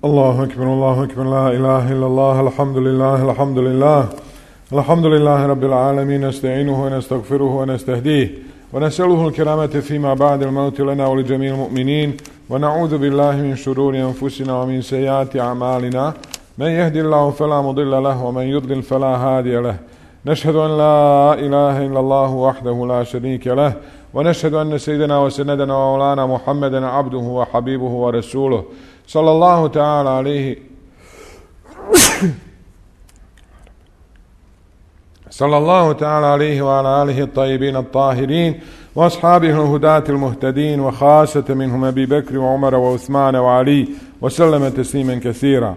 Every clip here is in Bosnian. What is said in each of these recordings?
الله أكبر لا إله إلا الله الحمد لله الحمد لله رب العالمين نستعينه ونستغفره ونستهديه ونسأله الكرامة فيما بعد الموت لنا ولجميع المؤمنين ونعوذ بالله من شرور أنفسنا ومن سيئات أعمالنا من يهدي الله فلا مضل له ومن يضلل فلا هادي له نشهد أن لا إله إلا الله وحده لا شريك له ونشهد أن سيدنا وسندنا ومولانا محمدا عبده وحبيبه ورسوله صلى الله تعالى عليه صلى الله تعالى عليه وعلى آله الطيبين الطاهرين وأصحابه الهداة المهتدين وخاصة منهم أبي بكر وعمر وعثمان وعلي وسلم تسليما كثيرا.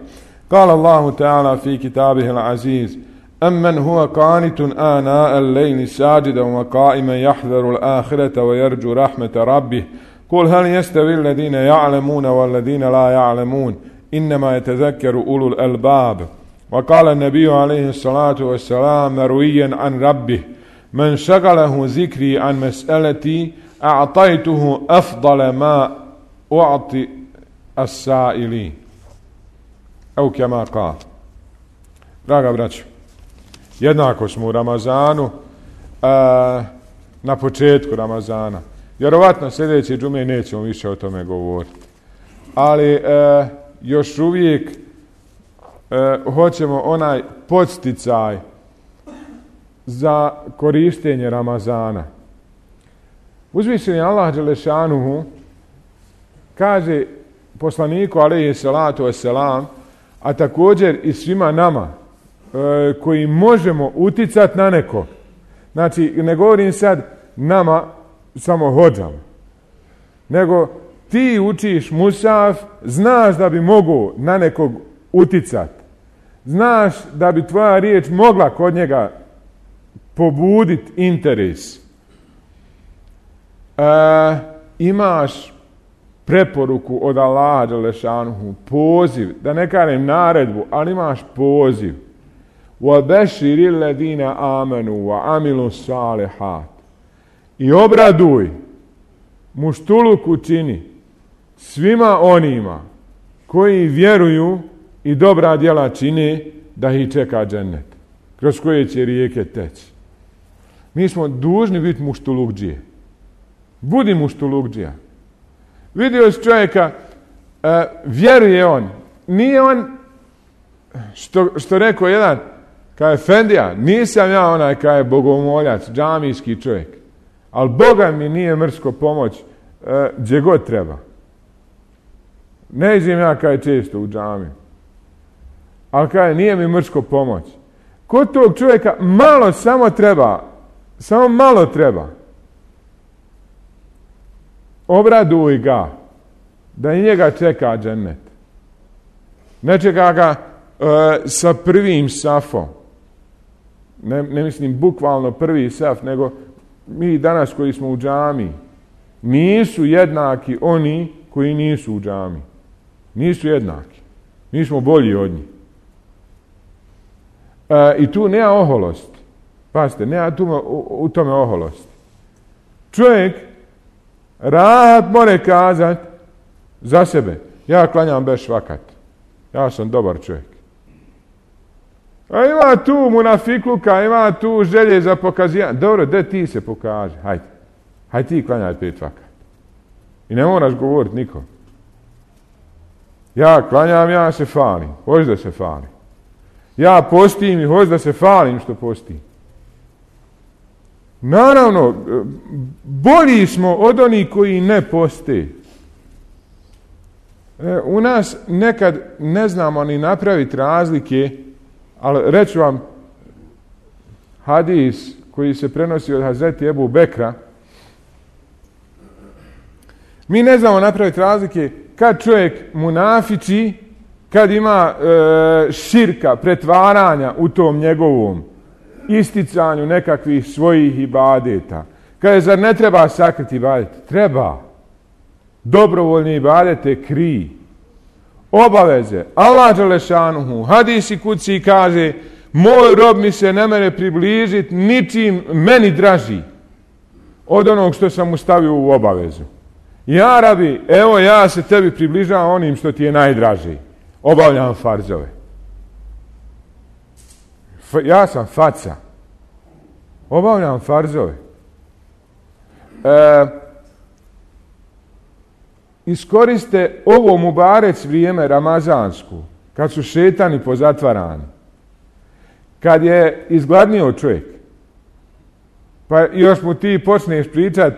قال الله تعالى في كتابه العزيز: أمن هو قانت آناء الليل ساجدا وقائما يحذر الآخرة ويرجو رحمة ربه قل هل يستوي الذين يعلمون والذين لا يعلمون إنما يتذكر أولو الألباب. وقال النبي عليه الصلاة والسلام مرويا عن ربه: من شغله ذكري عن مسألتي أعطيته أفضل ما أعطي السائلين أو كما قال. Draga braćo, jednako smo u Ramazanu, na početku Ramazana. Vjerovatno sljedeće džume nećemo više o tome govoriti. Ali još uvijek hoćemo onaj podsticaj za korištenje Ramazana. Uzvišeni Allah dželešanuhu kaže poslaniku alejhi salatu vesselam, a također i svima nama koji možemo uticati na nekog. Znači, ne govorim sad nama samo hodžama, nego ti učiš musaf, znaš da bi mogao na nekog uticati. Znaš da bi tvoja riječ mogla kod njega pobuditi interes. Imaš preporuku od Allaha dželešanuhu, poziv, da ne kažem naredbu, ali imaš poziv. وَبَشِّرِ الَّذِينَ آمَنُوا وَعَمِلُوا الصَّالِحَاتِ. I obraduj, muštuluk učini svima onima koji vjeruju i dobra djela čine, da ih čeka džennet, kroz koje će rijeke teći. Mi smo dužni biti muštulukđije. Budi muštulukđija. Vidio si čovjeka, vjeruje on. Nije on, što rekao jedan, kao efendija, nisam ja onaj kao je bogomoljac, džamijski čovjek. Ali Boga mi nije mrsko pomoć gdje god treba. Ne idem ja kao je često u džamiju. Ali kao je nije mi mrsko pomoć. Kod tog čovjeka malo samo treba. Samo malo treba. Obraduj ga da i njega čeka džennet. Ne čeka ga sa prvim safom. Ne mislim bukvalno prvi saf, nego mi danas koji smo u džami nisu jednaki oni koji nisu u džami. Nisu jednaki. Mi smo bolji od njih. I tu nema oholosti. Pazite, nema u tome oholosti. Čovjek rahat more kazat za sebe: ja klanjam bez švakat. Ja sam dobar čovjek. A ima tu munafikluka, ima tu želje za pokazivanje. Dobro, de ti se pokaže. Hajde ti klanjaj 5 vakat. I ne moraš govoriti nikom. Ja klanjam, ja se falim. Hoćeš da se falim. Ja postim i hoćeš da se falim što postim. Naravno, bolji smo od onih koji ne poste. U nas nekad ne znamo ni napraviti razlike, ali reću vam hadis koji se prenosi od Hazreti Ebu Bekra. Mi ne znamo napraviti razlike kad čovjek munafiči, kad ima širka, pretvaranja u tom njegovom isticanju nekakvih svojih ibadeta. Kaže, zar ne treba sakriti ibadete? Treba. Dobrovoljni ibadete krij. Obaveze. Allah dželešanuhu, hadisi kuci kaže: moj rob mi se ne mere približiti ničim meni draži od onog što sam mu stavio u obavezu. Ja rabi, evo ja se tebi približavam onim što ti je najdraži. obavljam farzove. Ja sam faca. Obavljam farzove. Iskoriste ovo mubarec vrijeme ramazansku, kad su šetani pozatvarani, kad je izgladnio čovjek, pa još mu ti počneš pričat,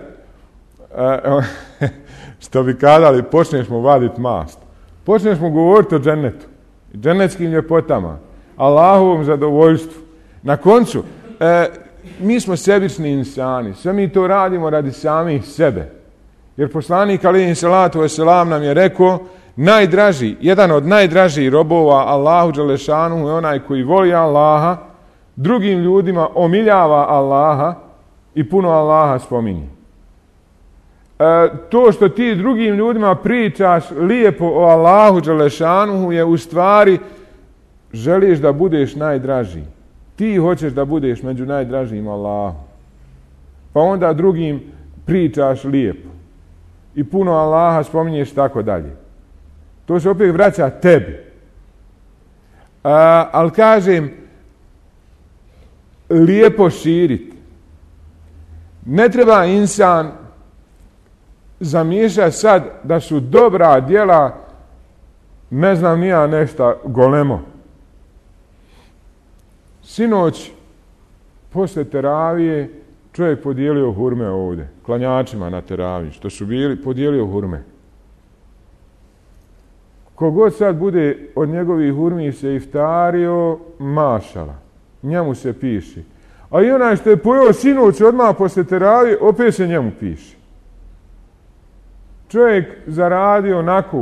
što bi kadali, počneš mu vaditi mast. Počneš mu govoriti o džennetu, džennetskim ljepotama, Allahovom zadovoljstvu. Na koncu, mi smo sebični insani, sve mi to radimo radi samih sebe. Jer poslanik alejhi salatu vesselam nam je rekao, jedan od najdražih robova Allahu dželešanu je onaj koji voli Allaha, drugim ljudima omiljava Allaha i puno Allaha spominje. To što ti drugim ljudima pričaš lijepo o Allahu dželešanu je u stvari želiš da budeš najdraži. Ti hoćeš da budeš među najdražijim Allahu. Pa onda drugim pričaš lijepo. I puno Allaha spominješ tako dalje. To se opet vraća tebi. Ali kažem, lijepo širiti. Ne treba insan zamiješati sad da su dobra djela, ne znam ni ja nešto golemo. Sinoć, poslije teravije, čovjek podijelio hurme ovdje, klanjačima na teraviji, što su bili, podijelio hurme. Kogod sad bude od njegovih hurmi se iftario, mašala, njemu se piše. A i onaj što je pojeo sinoć odmah poslije teravije, opet se njemu piše. Čovjek zaradio onako,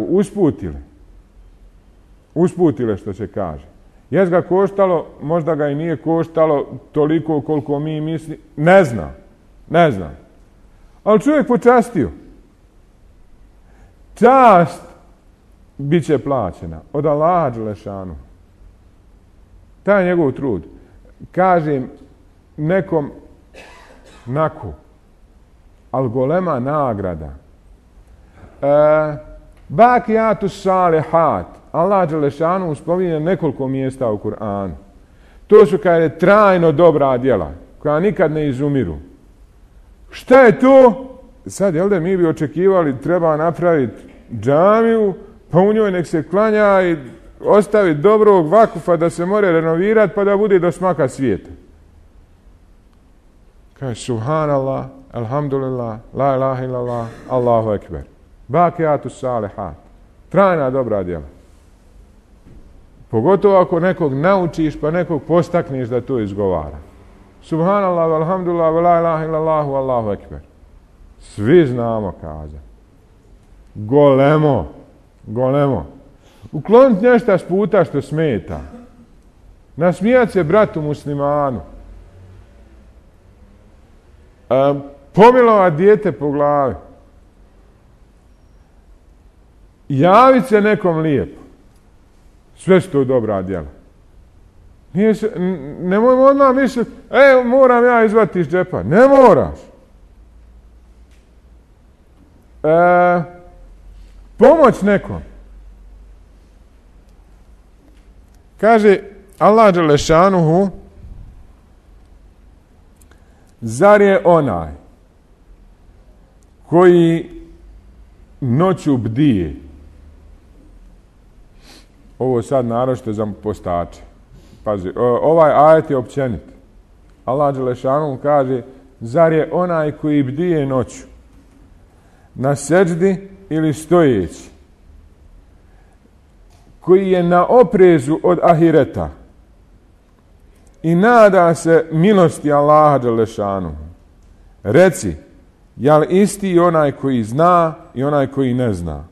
usputile što se kaže. Jes ga koštalo, možda ga i nije koštalo toliko koliko mi misli, ne znam. Ali čovjek počastio. Čast bit će plaćena od Allaha dželešanu. Taj je njegov trud. Kažem nekom nako, ali golema nagrada. Bakijatu salihat. Allah dželešanu spominje nekoliko mjesta u Kur'anu. To su kada je trajno dobra djela, koja nikad ne izumiru. Šta je to? Sad, jel da mi bi očekivali treba napraviti džamiju, pa u njoj nek se klanja i ostaviti dobrog vakufa da se more renovirati pa da bude do smaka svijeta. Kaže, subhanallah, alhamdulillah, la ilaha illallah, Allahu ekber. Bakijatu salihat. Trajna dobra djela. Pogotovo ako nekog naučiš pa nekog postakneš da to izgovara. Subhanallah, alhamdulillah, la ilaha illallah, Allahu ekber. Svi znamo kazati. Golemo. Ukloniti nešto s puta što smeta. Nasmijati se bratu muslimanu. Pomilovati dijete po glavi. Javiti se nekom lijepo. Sve su to dobra djela. Nemojmo odmah misliti, moram ja izvati iz džepa. Ne moraš. Pomoć nekom. Kaže Allah dželešanuhu, zar je onaj koji noću bdije. Ovo sad naročito za postače. Pazi, ovaj ajet je općenit. Allah dželešanu kaže, zar je onaj koji bdije noću na seđdi ili stojeći, koji je na oprezu od ahireta i nada se milosti Allaha dželešanu. Reci, jel isti onaj koji zna i onaj koji ne zna?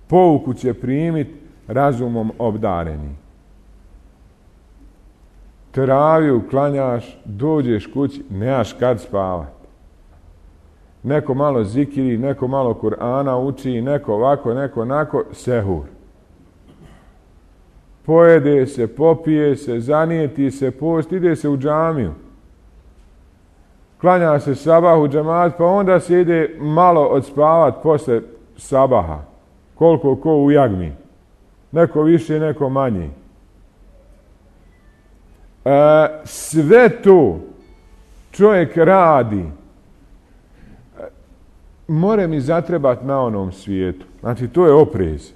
Pouku će primiti razumom obdareni. Teraviju klanjaš, dođeš kući, nemaš kad spavat. Neko malo zikiri, neko malo Kur'ana uči, neko ovako, neko onako, sehur. Pojede se, popije se, zanijeti se, post, ide se u džamiju. Klanja se sabah u džemat, pa onda se ide malo odspavat posle sabaha. Koliko ko u jagmi. neko više, neko manje. Sve to čovjek radi, more mi zatrebat na onom svijetu. Znači, to je oprez.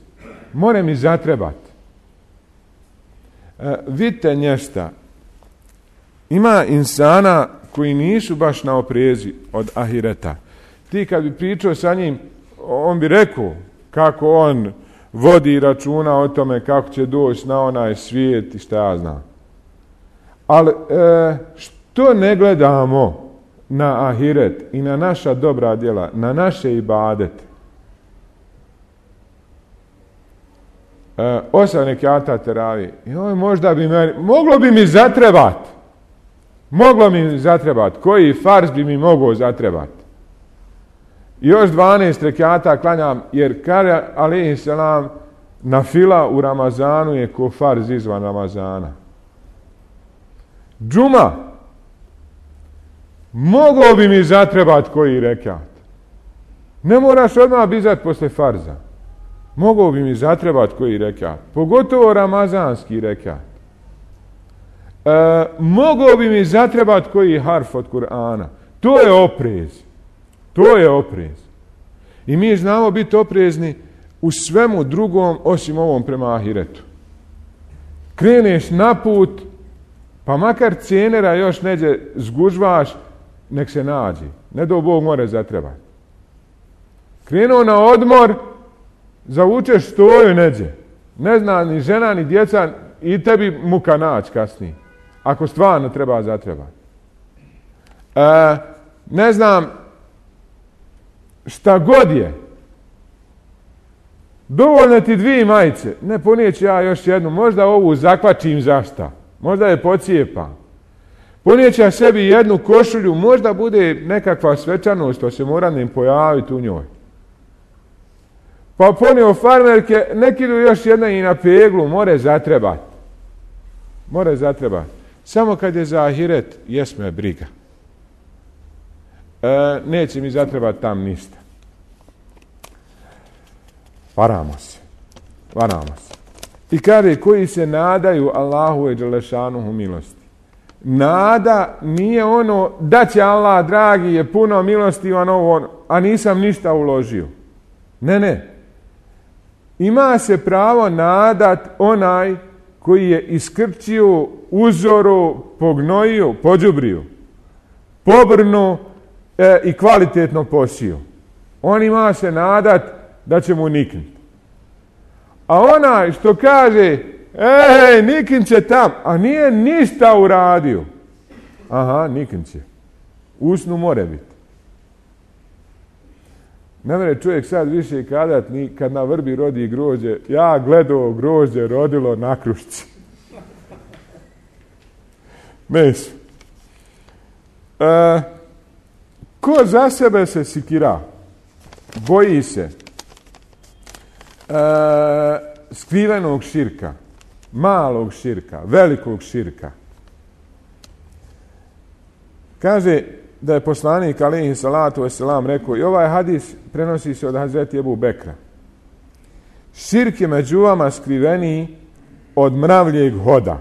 More mi zatrebat. Vidite nješta. Ima insana koji nisu baš na oprezi od ahireta. Ti kad bi pričao sa njim, on bi rekao kako on vodi računa o tome kako će doći na onaj svijet i šta ja znam. Ali što ne gledamo na ahiret i na naša dobra djela, na naše ibadete? 8 rekata teravije. Možda bi moglo bi mi zatrebat. Moglo mi zatrebat. Koji farz bi mi mogao zatrebat? Još 12 rekata klanjam, jer kaže alejhi selam, nafila u Ramazanu je ko farz izvan Ramazana. Džuma, moglo bi mi zatrebat koji rekat. Ne moraš odmah bizat posle farza. Moglo bi mi zatrebat koji rekat. Pogotovo ramazanski rekat. Moglo bi mi zatrebat koji harf od Kur'ana. To je oprez. To je oprez. I mi znamo biti oprezni u svemu drugom osim ovom prema ahiretu. Kreneš na put, pa makar cijenera još neđe zgužvaš, nek se nađi. Ne do Bog more zatrebat. Krenuo na odmor, zavučeš stoju neđe. Ne zna ni žena, ni djeca, i tebi muka naći kasnije. Ako stvarno treba zatrebat. Ne znam, šta god je. Dovoljno ti 2 majice. Ne, ponijeću ja još jednu. Možda ovu zakvačim zašta. Možda je pocijepam. Ponijeću ja sebi jednu košulju. Možda bude nekakva svečanost, to se mora im pojaviti u njoj. Pa ponio farmerke, neki još jedna i na peglu. More zatrebat. More zatrebat. Samo kad je za ahiret, jesme briga. Neće mi zatrebati tam ništa. Varamo se. I kaže, koji se nadaju Allahu i dželešanuhu milosti. Nada nije ono da će Allah dragi je puno milostivan ovo, a nisam ništa uložio. Ne. Ima se pravo nadat onaj koji je iskrčio, uzoru, pognojio, pođubrio, pobrnu i kvalitetno posio. On ima se nadat da će mu niknuti. A onaj što kaže, niknut će tam, a nije ništa uradio. Aha, niknut će. Usnu more biti. Ne mere čovjek sad više kadat, ni kad na vrbi rodi grožđe, ja gledao grožđe rodilo na krušci. Meso. Ko za sebe se sikira, boji se skrivenog širka, malog širka, velikog širka. Kaže da je poslanik alejhi salatu vesselam rekao, i ovaj hadis prenosi se od Hazreti Ebu Bekra. Širk je među vama skriveniji od mravljeg hoda.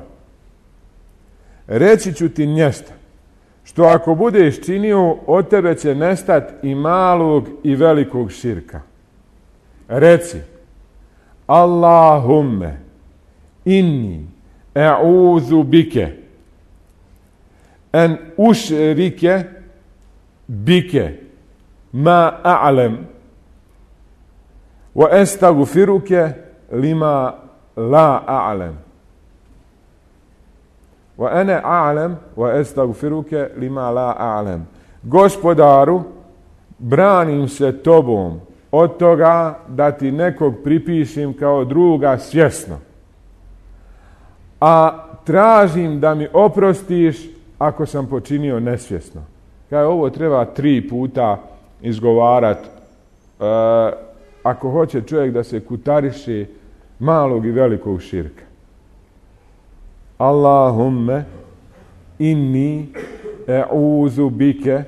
Reći ću ti nješta, što ako budeš činio, od tebe će nestat i malog i velikog širka. Reci, Allahumme inni e'udhu bike en ušrike bike ma a'lem wa estagfiruke lima la a'lem wa ene a'lem wa estagfiruke lima la a'lem. Gospodaru, branim se tobom od toga da ti nekog pripišim kao druga svjesno, a tražim da mi oprostiš ako sam počinio nesvjesno. Kao ovo treba 3 puta izgovarati ako hoće čovjek da se kutariše malog i velikog širka. Allahumme inni e'uzu bike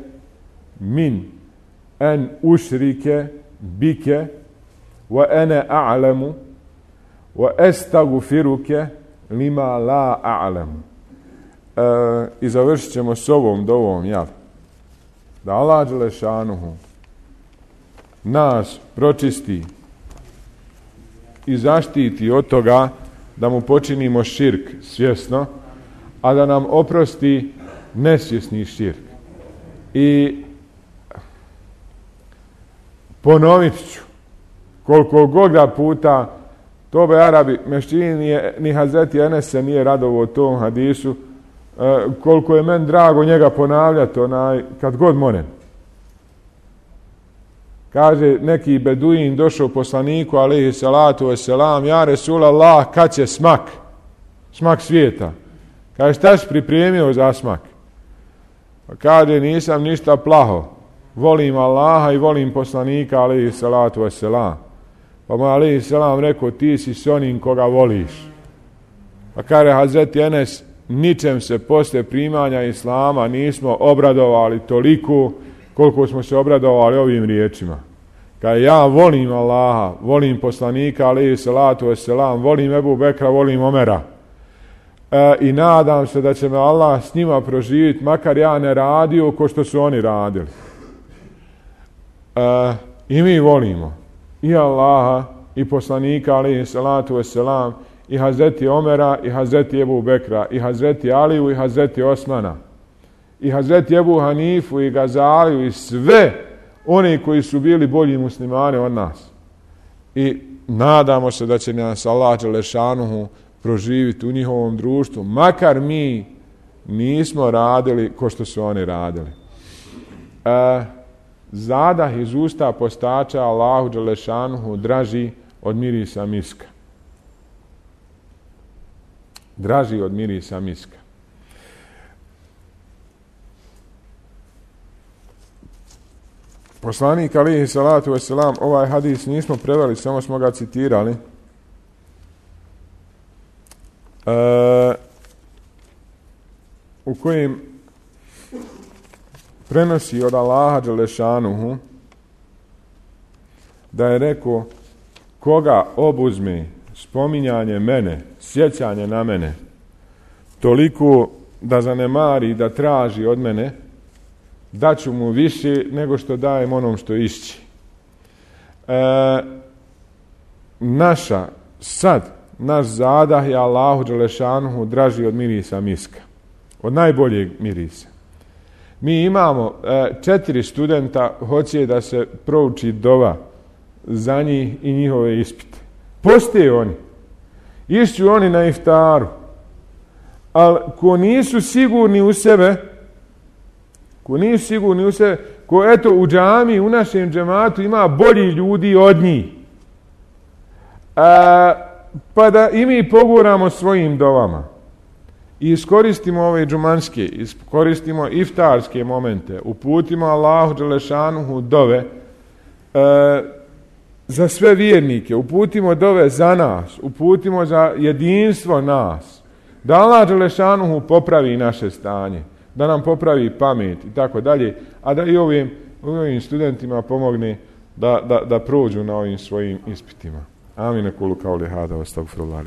min en ušrike bike wa ene a'lemu wa estagfiruke lima la a'lam. I završit ćemo s ovom dovom, jel? Da Allah dželešanuhu nas pročisti i zaštiti od toga da mu počinimo širk svjesno, a da nam oprosti nesvjesni širk. I ponovit ću koliko god puta Tobe Arabi Meščini ni Hazreti Enes se nije radovo o tom hadisu, koliko je meni drago njega ponavljati kad god monem. Kaže neki beduin došao poslaniku alejhi salatu vesselam, ja Resulallah, kad će smak svijeta? Kaže, šta si pripremio za smak? Pa kaže, nisam ništa plaho, volim Allaha i volim poslanika alejhi salatu vesselam. Pa mu alejhi salam rekao, ti si s onim koga voliš. Pa kaže Hazreti Enes, ničem se posle primanja Islama nismo obradovali toliko koliko smo se obradovali ovim riječima. Kaže, ja volim Allaha, volim poslanika alejhi salatu vesselam, volim Ebu Bekra, volim Omera. I nadam se da će me Allah s njima proživjeti, makar ja ne radio ko što su oni radili. I mi volimo i Allaha i poslanika alejhi salatu vesselam, i Hazreti Omera, i Hazreti Ebu Bekra, i Hazreti Aliju, i Hazreti Osmana, i Hazreti Ebu Hanifu, i Gazaliju, i sve oni koji su bili bolji muslimani od nas. I nadamo se da će nas Allah dželešanuhu proživiti u njihovom društvu, makar mi nismo radili ko što su oni radili. Zadah iz usta postača Allahu dželešanuhu draži od mirisa miska. Draži od mirisa miska. Poslanik alejhi salatu vesselam, ovaj hadis nismo preveli, samo smo ga citirali. U kojem prenosi od Allaha dželešanuhu da je rekao, koga obuzme spominjanje mene, sjećanje na mene, toliko da zanemari, da traži od mene, daću mu više nego što dajem onom što išći. Naš zadah je Allahu dželešanuhu draži od mirisa miska, od najboljeg mirisa. Mi imamo 4 studenta, hoće da se prouči dova za njih i njihove ispite. Postoje oni. Išću oni na iftaru. Ali ko nisu sigurni u sebe, ko eto u džami, u našem džematu ima bolji ljudi od njih, pa da i mi poguramo svojim dovama i iskoristimo ove džumanske, iskoristimo iftarske momente, uputimo Allahu dželešanuhu dove za sve vjernike, uputimo dove za nas, uputimo za jedinstvo nas, da Allah dželešanuhu popravi naše stanje, da nam popravi pamet i tako dalje, a da i ovim studentima pomogne da prođu na ovim svojim ispitima. Amin, kulu kauli hada, astagfirullah.